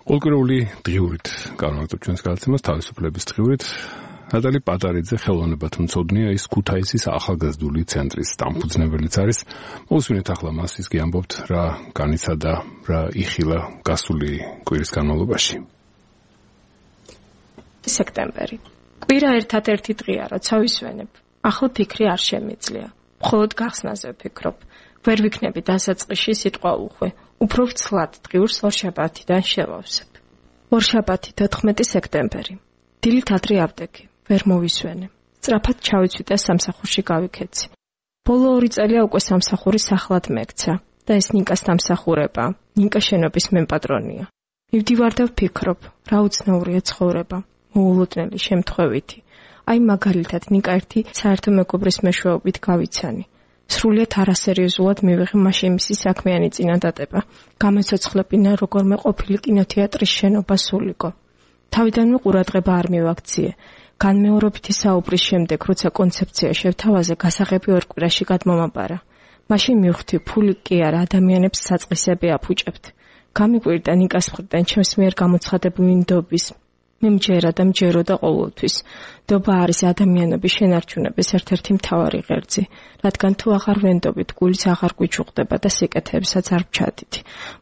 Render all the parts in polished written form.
Ყოველკვირეული დღიურით განვაგრძობ ჩვენს გადაცემას თავისუფლების დღიურით. ნატალი პატარიძე ხელოვნებად მცოდნეა, ის ქუთაისის ახალგაზრდული ცენტრის დამფუძნებელიც არის. მოვუსმინეთ ახლა მას, ის გიამბობთ რა განიცადა, რა იხილა გასული კვირის განმავლობაში. სექტემბერი. კვირა ერთადერთი დღეა, როცა ვისვენებ. ახლა ფიქრი არ შემიძლია. მხოლოდ გახსნაზე ვფიქრობ. ვერ ვიქნები დასაწყისში სიტყვა უხვე. უფრო ვცლად დღიურს ორშაბათიდან შევავსებ. ორშაბათი 14 სექტემბერი. დილით ადრე ავდექი. ვერ მოვისვენე. სწრაფად ჩავიცვიდა სამსახურში გავიქეცი. ბოლო 2 წელია უკვე სამსახურის ახლად მეკცა და ეს ნიკას დამსახურება. ნიკა შენობის მემპატრონია. მივდივარ და ვფიქრობ, რა უცნაურია ცხოვრება. მოულოდნელი შემთხვევითი. აი მაგალითად ნიკა ერთი საერთო მეგობრის მეშვეობით გავიცანი. სრულიად არასერიოზულად მივიღე მაშინ მისი საქმიანი წინადადება. გამეცოცხლებინა როგორმე ყოფილი კინოთეატრის შენობა სულიკო. თავიდანვე ყურადღება არ მივაქციე. განმეორებითი საუბრის შემდეგ, როცა კონცეფცია შევთავაზე, გასაღები 2 კვირაში გადმომაბარა. მაშინ მივხვდი, ფული კი არა, ადამიანებს საწყისები აფუჭებთ. გამიკვირდა ნიკას მხრიდან ჩემს მიერ გამოცხადებული ნდობის. მე მჯერა და მჯეროდა ყოველთვის. ნდობა არის ადამიანების შენარჩუნების ერთ-ერთი მთავარი ღერძი, რადგან თუ აღარ ვენდობით, გულიც აღარ გვიჩუღდება და სიკეთეებსაც არ ვჩადით.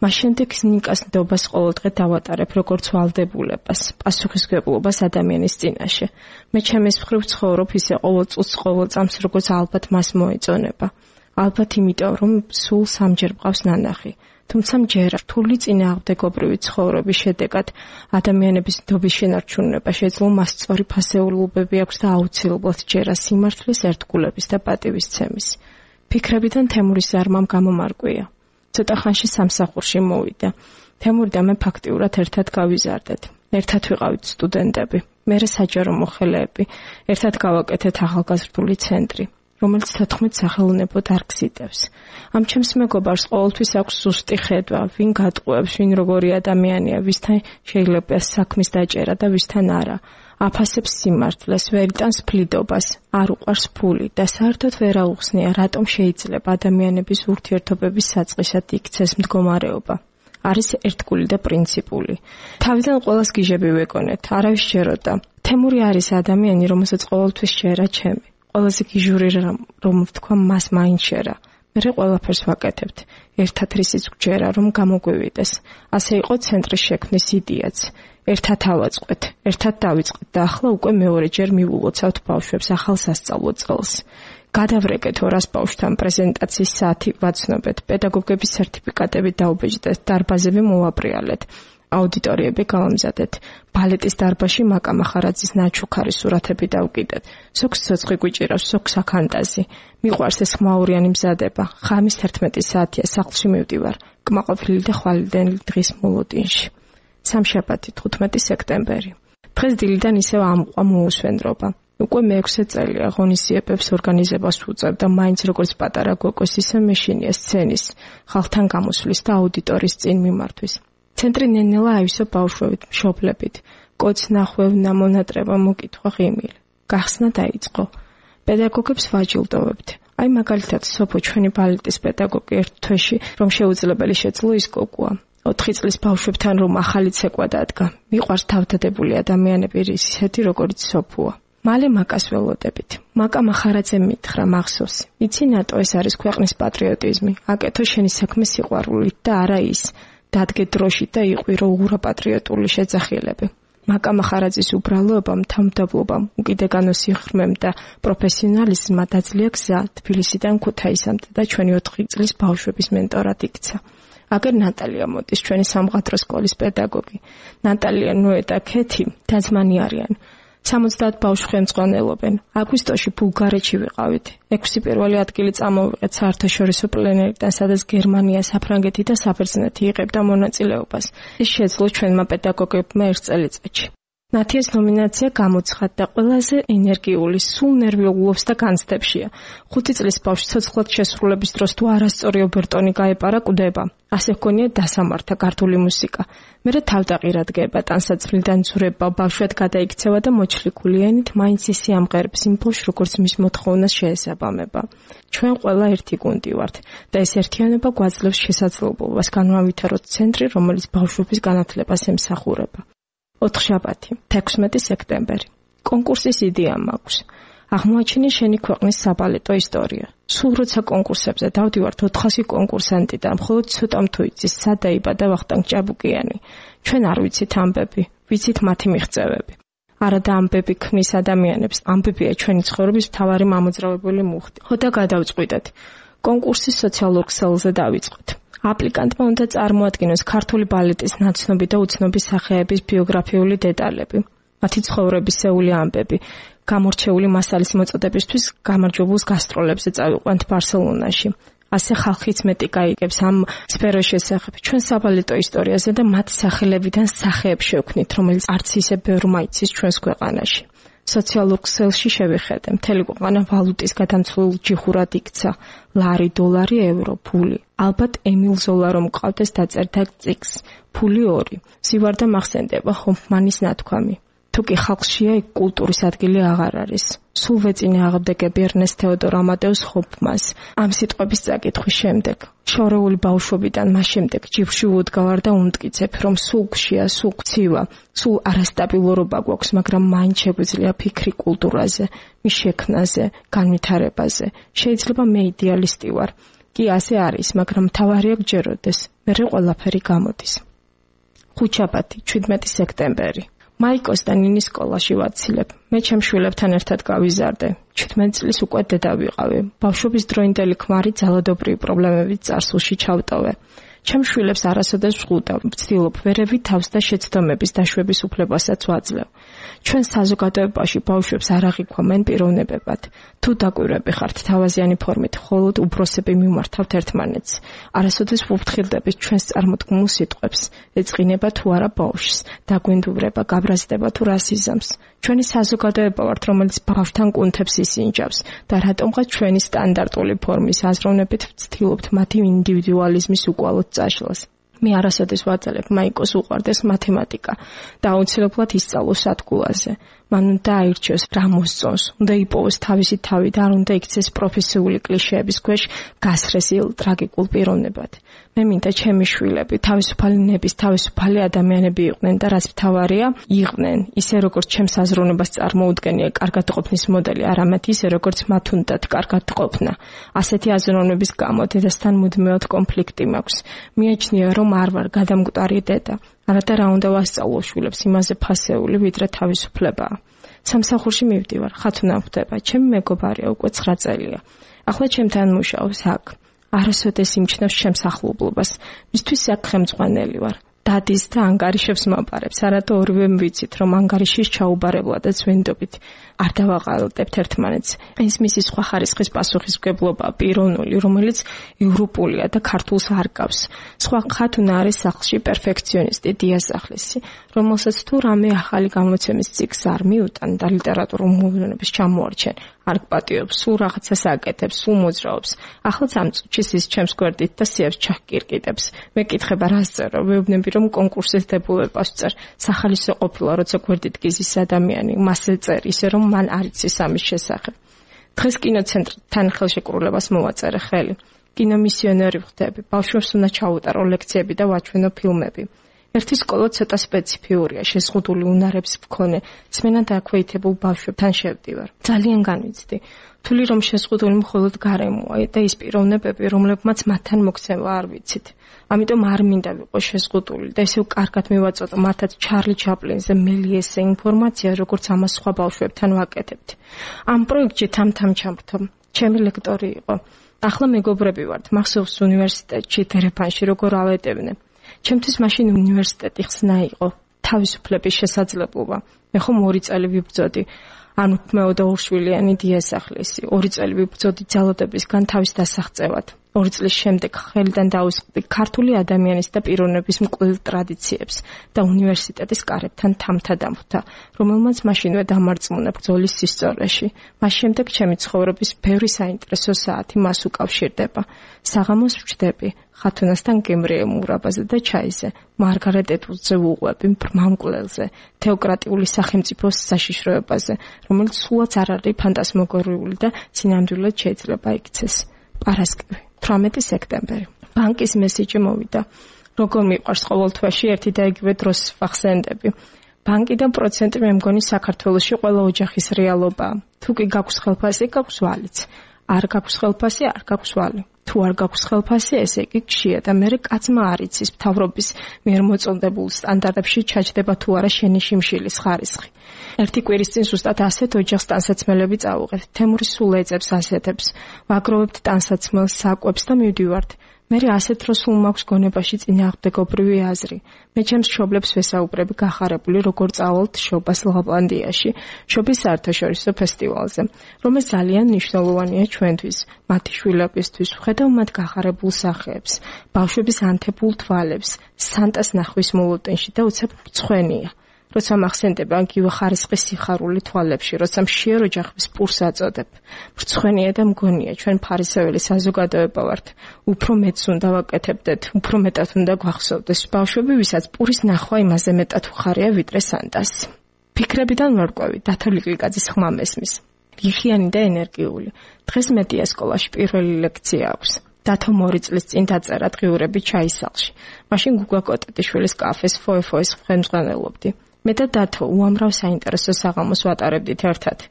მას შემდეგ ნიკას ნდობას ყოველდღე დავატარებ როგორც ვალდებულებას, პასუხისმგებლობას ადამიანის წინაშე. მე ჩემის მხრივ ცხოვრობ ისე ყოველ წუთს, ყოველ წამს, როგორც ალბათ მას მოეწონება. ალბათ იმიტომ, რომ სულ 3-ჯერ მყავს ნანახი. თუმცა მჯერა რთული წინააღმდეგობრივი ცხოვრების შედეგად ადამიანების ნდობის შენარჩუნება შეძლო მას სწორი ფასეულობები აქვს და აუცილებლად ჯერა სიმართლის, ერთგულების და პატივისცემის. ფიქრებიდან თემურის ზარმამ გამომარკვია. ცოტა ხანში სამსახურში მოვიდა. თემური და მე ფაქტიურად ერთად გავიზარდეთ. ერთად ვიყავით სტუდენტები, მერე საჯარო მოხელეები, ერთად გავაკეთეთ ახალგაზრდული ცენტრი, რომელიც 14 სახელოვნებო დარგს იტევს. ამ ჩემს მეგობარს ყოველთვის აქვს ზუსტი ხედვა, ვინ გატყუებს, ვინ როგორი ადამიანია, ვისთან შეიძლება საქმის დაჭერა და ვისთან არა. აფასებს სიმართლეს, ვერ იტანს ფლიდობას, არ უყვარს ფული და საერთოდ ვერ აუხსნია, რატომ შეიძლება ადამიანების ურთიერთობების საწყისად იქცეს მდგომარეობა. არის ერთგული და პრინციპული. თავიდან ყველას გიჟები ვეკონეთ, არავის შეეროდა. თემური არის ადამიანი, რომელსაც ყოველთვის შეერა ჩემი. ყველაზე გიჟური რომ ვთქვა მას მაინც შეერა. მერე ყველაფერს ვაკეთებთ. ერთად რისიც გვჯერა რომ გამოგვივიდეს. ასე იყო ცენტრის შექმნის იდეაც. ერთად ავაწყეთ, ერთად დავიწყეთ და ახლა უკვე მეორეჯერ მივულოცავთ ბავშვებს ახალ სასწავლო წელს. გადავრეკეთ 200 ბავშვთან პრეზენტაციის საათი ვაცნობეთ, პედაგოგების სერტიფიკატები დაუბეჭდეთ, დარბაზები მოვაბრიალეთ. აუდიტორიები გავამზადეთ. ბალეტის დარბაზში მაკა მახარაძის ნაჩუქარი სურათები დავკიდეთ. სოქს ცოცხი გვიჭირავს, სოქს აქანტაზი. მიყვარს ეს ხმაურიანი მზადება. ხამის 11 საათია სახლში მივდივარ. კმაყოფილი და ხვალიდელი დღის მოლოდინში. სამშაბათი 15 სექტემბერი. დღეს დილიდან ისევ ამყვა მოუსვენრობა. უკვე მე-6 წელია ღონისძიებებს ორგანიზებას ვუწევ და მაინც როგორც პატარა გოგოს ისე მეშინია სცენის, ხალხთან გამოსვლის და აუდიტორიის წინ მიმართვის. ცენტრი ნენელა აივსო ბავშვებით, მშობლებით. კოც ნახვევნა, მონატრება, მოკითხვა, ღიმილი. გახსნა დაიწყო. პედაგოგებს ვაჯილდოვებთ. აი მაგალითად, სოფო ჩვენი ბალეტის პედაგოგი ერთ თვეში, რომ შეუძლებელი შეძლო ის გოგოა. 4 წლის ბავშვებთან რომ ახალი ცეკვა დადგა. მიყვარს თავდადებული ადამიანები ისეთი, როგორიც სოფოა. მალე მაკას ველოდებით. მაკა მახარაძემ მითხრა მახსოვს. იცი ნატო, ეს არის ქვეყნის პატრიოტიზმი. აკეთო შენი საქმე სიყვარულით და არა ის. დადგე დროში და იყვირო უღრაპატრიოტული შეძახილები. მაკა მახარაძის უბრალოობამ, თავმდაბლობამ, უკიდეგანო სიღრმემ და პროფესიონალიზმმა დაძლია გზა თბილისიდან ქუთაისამდე და ჩვენი 4 წლის ბავშვების მენტორად იქცა. აგერ ნატალია მოდის, ჩვენი სამხატვრო სკოლის პედაგოგი. ნატალია, ნოე და ქეთი დაძმანი არიან. 70 ბავშვი ხელმძღვანელობენ. აგვისტოში ბულგარეთში ვიყავით. 6 პირველი ადგილი წამოვიღეთ საერთაშორისო პლენერიდან, სადაც გერმანია, საფრანგეთი და საბერძნეთი იღებდა მონაწილეობას. ეს შეძლო ჩვენმა პედაგოგებმა 1 წელიწადში. ნათიას ნომინაცია გამოცხადდა ყველაზე ენერგიული, სულ ნერვიულობს და განცდებშია. 5 წლის ბავშვი ცოცხლად შესრულების დროს თუ არასწორი ობერტონი გაეპარა კვდება. ასე ჰქონია დასამართა ქართული მუსიკა. მერე თავდაყირად გება, ტანსაცმლიდან ცურება, ბავშვად გადაიქცევა და მოჩლიქული ენით მაინც ისი ამღერებს იმ ბავშვს, როგორც მის მოთხოვნას შეესაბამება. ჩვენ ყველა ერთი გუნდი ვართ და ეს ერთიანობა გვაძლევს შესაძლებლობას განვავითაროთ ცენტრი, რომელიც ბავშვების განათლებას ემსახურება. 4-შაბათი, 16 სექტემბერი. კონკურსის იდეა მაქვს. აღმოაჩინე შენი ქვეყნის საბალეტო ისტორია. სულ როცა კონკურსებზე დავდივართ 400 კონკურსანტი და მხოლოდ ცოტამ თუ იცის სად დაიბადა ვახტანგ ჭაბუკიანი. ჩვენ არ ვიცით ამბები, ვიცით მათი მიღწევები. არადა ამბები ქმნის ადამიანებს, ამბებია ჩვენი ცხოვრების მთავარი მამოძრავებელი მუხტი. ხოდა გადავწყვიტეთ. კონკურსის სოციალურ ქსელზე დავიწყოთ. აპლიკანტმა უნდა წარმოადგინოს ქართული ბალეტის ნაცნობი და უცნობი სახეების ბიოგრაფიული დეტალები, მათი ცხოვრებისეული ამბები, გამორჩეული მასალის მოწოდებისთვის გამარჯვებულს გასტროლებზე წავიყვანთ ბარსელონაში. ასე ხალხიც მეტი გაიგებს ამ სფეროს შესახებ, ჩვენ საბალეტო ისტორიაზე და მათ სახელებიდან სახეებს შევქმნით, რომელიც არც ისე ბევრმა იცის ჩვენს ქვეყანაში. სოციალურ ქსელში შევიხედე, მთელი ქვეყანა ვალუტის გადამცვლელ ჯიხურად იქცა, ლარი, დოლარი, euро, ფული. ალბათ ემილ ზოლა რომ მყავდეს დაწერდა წიგს, ფული 2. ზივარდა მახსენდება ჰოფმანის ნათქვამი. თუ კი ხალხშია იქ კულტურის ადგილი აღარ არის. სულ ვეწინე აღებდეგები ერნესტ თეოდორ ამადეუს ჰოფმანს. ამ სიტყვების წაკითხვის შემდეგ, შორეული ბავშვობიდან მას შემდეგ ჯიბრში უდგავარ და უმტკიცებ, რომ სულ გშია, სულ გცივა, სულ არასტაბილურობა გვაქვს, მაგრამ მაინც შეგვიძლია ფიქრი კულტურაზე, მის შექმნაზე, განვითარებაზე. შეიძლება მე იდეალისტი ვარ. კი ასე არის, მაგრამ მთავარია გჯეროდეს, მერე ყველაფერი გამოდის. 5-შაბათი, 17 სექტემბერი. მაიკოს და ნინის სკოლაში ვაცილებ. მე ჩემ შვილებთან ერთად გავიზარდე. 17 წლის უკვე დედა ვიყავი. ბავშვობის დროინდელი ქმარი ძალადობრივი პრობლემებით წარსულში ჩავტოვე. ჩემ შვილებს არასოდეს ვღუდავ, ვცდილობ ვერევი თავს და შეცდომების დაშვების უფლებასაც ვაძლევ. ჩვენ საზოგადოებაში ბავშვებს არ აღიქვამენ პიროვნებებად. თუ დაკვირვები ხართ თავაზიანი ფორმით, მხოლოდ უბროსები მიმართავთ ერთმანეთს. არასოდეს ვუფრთხილდებით ჩვენს წარმოდგმულ სიტყვებს, ეწყინება თუ არა ბავშვს, დაგვინდურება, გაბრაზდება თუ რასიზმს. ჩვენი საზოგადოება ვართ, რომელიც ბავშვთან კუნთებს ისინჯავს და რატომღაც ჩვენი სტანდარტული ფორმის აზროვნებით ვცდილობთ მათი ინდივიდუალიზმის უკვალოდ წაშლას. მე არასოდეს ვაძლევ მაიკოს უყვარდეს მათემატიკა და აუცილებლად ისწავლოს სადგულაზე. მან უნდა აირჩიოს რა მოსწონს, უნდა იპოვოს თავისი თავი და არ უნდა იქცეს პროფესიული კლიშეების ქვეშ გასრესილ ტრაგიკულ პიროვნებად. მე მინდა ჩემი შვილები თავისუფალი ნების, თავისუფალი ადამიანები იყვნენ და რაც მთავარია, იყვნენ ისე როგორც ჩემს აზროვნებას წარმოუდგენია კარგად ყოფნის მოდელი, არამედ ისე როგორც მათ უნდათ კარგად ყოფნა. ასეთი აზროვნების გამო დედასთან მუდმივად კონფლიქტი მაქვს. მიაჩნია რომ არ ვარ გადამკვდარი დედა. არადა რა უნდა ვასწავლო შვილებს იმაზე ფასეული, ვიდრე თავისუფლებაა. სამსახურში მივდივარ, ხათუნა ხვდება, ჩემი მეგობარია უკვე 9 წელია. ახლა ჩემთან მუშაობს აქ. არასოდეს იმჩნევს ჩემს ახლობლობას. მისთვის აქ ხელმძღვანელი ვარ. დადის და ანგარიშებს მაპარებს. არადა ორივე ვიცით, რომ ანგარიშის ჩაუბარებლადაც ვენდობით. არ დავაყალტებთ ერთმანეთს. ეს მისი სხვა ხარისხის პასუხისმგებლობა პიროვნული, რომელიც ევროპულია და ქართულს არ გავს. სხვა ხათუნა არის სახლში პერფექციონისტი დიასახლისი, რომელსაც თუ რამე ახალი გამოცემის ციკლს არ მიუტან და ლიტერატურულ მოვლენების ჩამოარჩენ, არ გპატიობს, სულ რაღაცას აკეთებს, სულ მოძრაობს. ახლაც ამ წუთში ის ჩემს გვერდით და სიებს ჩახკირკიტებს. მეკითხება რას წერო, ვეუბნები რომ კონკურსის დებულებას წერ. სახალისო ყოფილა, როცა გვერდით გიზის ადამიანი, მასზე წერ, ისე რომ მან არ იცის ამის შესახებ. დღეს კინოცენტრთან ხელშეკრულებას მოვაწერე ხელი. კინომისიონერი ვხდები. ბავშვებს უნდა ჩაუტარო ლექციები და ვაჩვენო ფილმები. ერთი სკოლა ცოტა სპეციფიურია, შეზღუდული უნარებს მქონე. ძმენა დაქვეითებულ ბავშვებთან შევდივარ. ძალიან განვიცდი. თვლი რომ შეზღუდული მხოლოდ გარემოა და ის პიროვნებები, რომლებმაც მათთან მოქცევა არ ვიცით. ამიტომ არ მინდა ვიყო შეზღუდული და ისევ კარგად მივაწოდო მათაც ჩარლი ჩაპლინზე მელიესზე ინფორმაცია, როგორც ამას სხვა ბავშვებთან ვაკეთებთ. ამ პროექტში თამთამ ჩამრთო. ჩემი ლექტორი იყო. ახლა მეგობრები ვართ, მახსოვს უნივერსიტეტში დერეფანში როგორ ავეტევნე. ჩემთვის მაშინ უნივერსიტეტი ხსნა იყო, თავისუფლების შესაძლებლობა. მე ხომ 2 წელი ვიბრძოდი. ანუქმეო და ურშვილიანი დიასახლისი. 2 წელი ვიბრძოდი ძალადობისგან თავის დასაღწევად. 2 წლის შემდეგ ხელიდან დაუსწრდი ქართული ადამიანის და პიროვნების მკვლელ ტრადიციებს და უნივერსიტეტის კარებთან თამთა დამხვდა, რომელმაც მაშინვე დამარწმუნა ბრძოლის ისტორიაში. მას შემდეგ ჩემი ცხოვრების ბევრი საინტერესო საათი მას უკავშირდება. საღამოს ვჩდები ხათუნასთან გემრიელ მურაბაზე და ჩაიზე, მარგარეტ ეტვუდზე ვუყვები ბრმა მკვლელზე, თეოკრატიული სახელმწიფოს საშიშროებაზე, რომელიც სულაც არ არის ფანტასმაგორიული და სინამდვილედ შეიძლება იქცეს. პარასკევი, 18 სექტემბერი. ბანკის მესიჯი მოვიდა. როგორ მიყვარს ყოველ თვეში ერთი და იგივე დროს ვახსენდები. ბანკიდან პროცენტი მე მგონი საქართველოში ყველა ოჯახის რეალობაა. თუ კი გაქვს ხელფასი, გაქვს ვალიც. არ გაქვს ხელფასი, არ გაქვს ვალი. თუ არ გაქვს ხელფასი, ესე იგი გშია და მე კაცმა არ იცის მთავრობის მიერ მოწონდებულ სტანდარტებში ჩაჯდება თუ არა შენი შიმშილის ხარისხი. ერთი კვირის წინ ზუსტად ასეთ ოჯახს ტანსაცმელები წავუღეთ. თემური სულ ეძებს ასეთებს. ვაგროვებთ ტანსაცმელს, საკვებს და მივდივართ. მე ასეთ დროს სულ მაქვს გონებაში წინააღმდეგობრივი აზრი. მე ჩემს მშობლებს ვესაუბრები გახარებული როგორ წავალთ შობას ლაპლანდიაში, შობის საერთაშორისო ფესტივალზე, რომელიც ძალიან მნიშვნელოვანია ჩვენთვის, მათი შვილებისთვის. ვხედავ მათ გახარებულ სახეებს, ბავშვების ანთებულ თვალებს, სანტას ნახვის მოლოტენში და უცებ მწვენია. როცა მახსენდება იგივე ხარისხის სიხარული თვალებში, როცა მშიერ ოჯახის პურს აწოდებ. მრცხვენია და მგონია, ჩვენ ფარისეველი საზოგადოება ვართ. უფრო მეც უნდა ვაკეთებდეთ, უფრო მეტად უნდა გვახსოვდეს. ბავშვები, ვისაც პურის ნახვა იმაზე მეტად უხარია, ვიდრე სანტას. ფიქრებიდან ვარკვევი, დათო ლიკვიკაძის ხმა მესმის. რიხიანი და ენერგიული. დღეს მედია სკოლაში პირველი ლექცია აქვს. დათო 2 წლის წინ დაწერა დღიურები ჩაისალში. მაშინ გუგა კოტეტიშვილის კაფეს ფოე-ფოეს ხელმძღვანელობდი. მე და დათო უამრავ საინტერესო საღამოს ვატარებდით ერთად.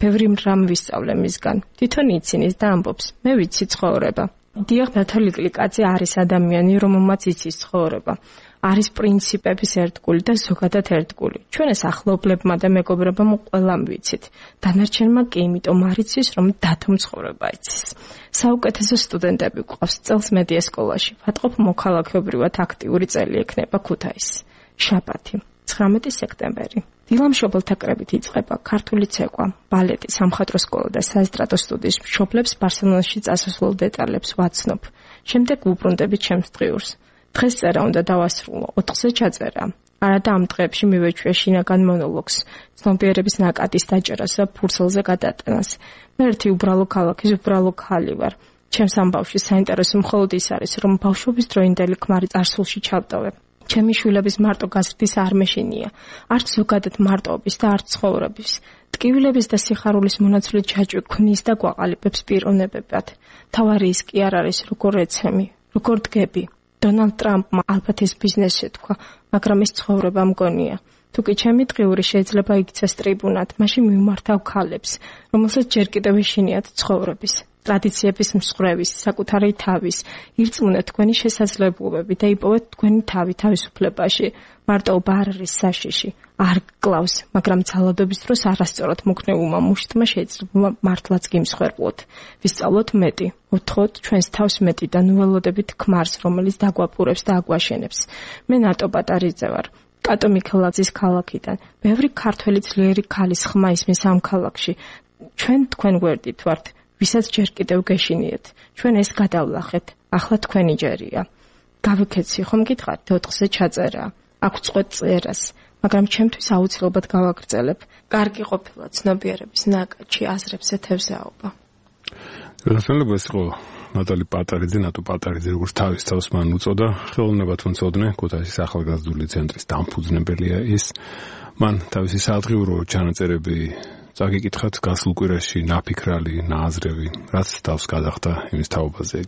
ბევრი რამ ვისწავლე მისგან. თვითონ იცინის და ამბობს, მე ვიცი ცხოვრება. დიახ, დათო ლიკვიკაძე არის ადამიანი, რომელმაც იცის ცხოვრება. არის პრინციპების ერთგული და ზოგადად ერთგული. ჩვენ ეს ახლობლებმა და მეგობრებმა ყველამ ვიცით. დანარჩენმა კი იმიტომ არ იცის, რომ დათომ ცხოვრება იცის. საუკეთესო სტუდენტები გვყავს წელს მედია სკოლაში. ვატყობ მოქალაქეობრივად აქტიური წელი ექნება ქუთაისი. შაბათი 19 სექტემბერი. დილა მშობელთა კრებით იწყება ქართული ცეკვა, ბალეტი, სამხატვრო სკოლა და საესტრადო სტუდიის მშობლებს ბარსელონაში წასასვლელ დეტალებს ვაცნობ. შემდეგ ვუბრუნდები ჩემს დღიურს. დღეს წერა უნდა დავასრულო, 4-ზე ჩაწერა. არადა ამ დღეებში მივეჩვია შინაგან მონოლოგს, ცნობიერების ნაკადის დაჭერას და ფურცელზე გადატანას. მე ერთი უბრალო ქალაქის უბრალო ქალი ვარ. ჩემს ამბავში საინტერესო მხოლოდ ის არის, რომ ბავშვობის დროინდელი ქმარი წარსულში ჩავტოვებ. ჩემი შვილების მარტო გაზრდის არ მეშინია, არც ზოგადად მარტოობის და არც ცხოვრების. ტკივილების და სიხარულის მონაცვლე ჯაჭვი ქმნის და გვაყალიბებს პიროვნებებად. თავარი ის კი არ არის, როგორ ეცემი, როგორ დგები. დონალდ ტრამპმა ალბათ ეს ბიზნესი თქვა, მაგრამ ეს ცხოვრება მგონია. თუ კი ჩემი დღიური შეიძლება იქცეს ტრიბუნად, მაშინ მივმართავ ქალებს, რომელსაც ჯერ კიდევ ეშინიათ ცხოვრების. ტრადიციების მსხვრევის, საკუთარი თავის, ირწმუნეთ თქვენი შესაძლებლობები და იპოვეთ თქვენი თავი თავისუფლებაში. მარტოობა არ არის საშიში, არ გკლავს, მაგრამ ძალადობის დროს არასწორად მოგნეულმა მუშტმა შეიძლება მართლაც გიმსხვერპლოთ. ვისწავლოთ მეტი, ოთხოთ ჩვენს თავს მეტი და ნუველოდებით ქმარს, რომელიც დაგვაპურებს და აგვაშენებს. მე ნატო პატარიძე ვარ. კატო მიქელაძის ქალაქიდან. ბევრი ქართველი ძლიერი ქალის ხმა ისმის ამ ქალაქში. ჩვენ თქვენ გვერდით ვართ. ვისაც ჯერ კიდევ გეშინიეთ. ჩვენ ეს გადავლახეთ. ახლა თქვენი ჯერია. გავიქეცი ხომ გითხარით 4-ზე ჩაწერა. აქვს წვეთ წერას, მაგრამ ჩემთვის აუცილებლად გავაგრძელებ. კარგი ყოფილა ცნობიერების ნაკადში აზრებს ეთევზაობა. გასაგებია ეს იყო ნატალი პატარიძე, ნატო პატარიძე, როგორც თავის თავს მან უწოდა, ხელოვნებად მცოდნე, ქუთაისის ახალგაზრდული ცენტრის დამფუძნებელია ის. მან თავისი სადღიურო ჩანაწერები წაგიკითხათ გასულ კვირაში, ნაფიქრალი, ნააზრევი, რაც თავს გადახდა იმის თაობაზე.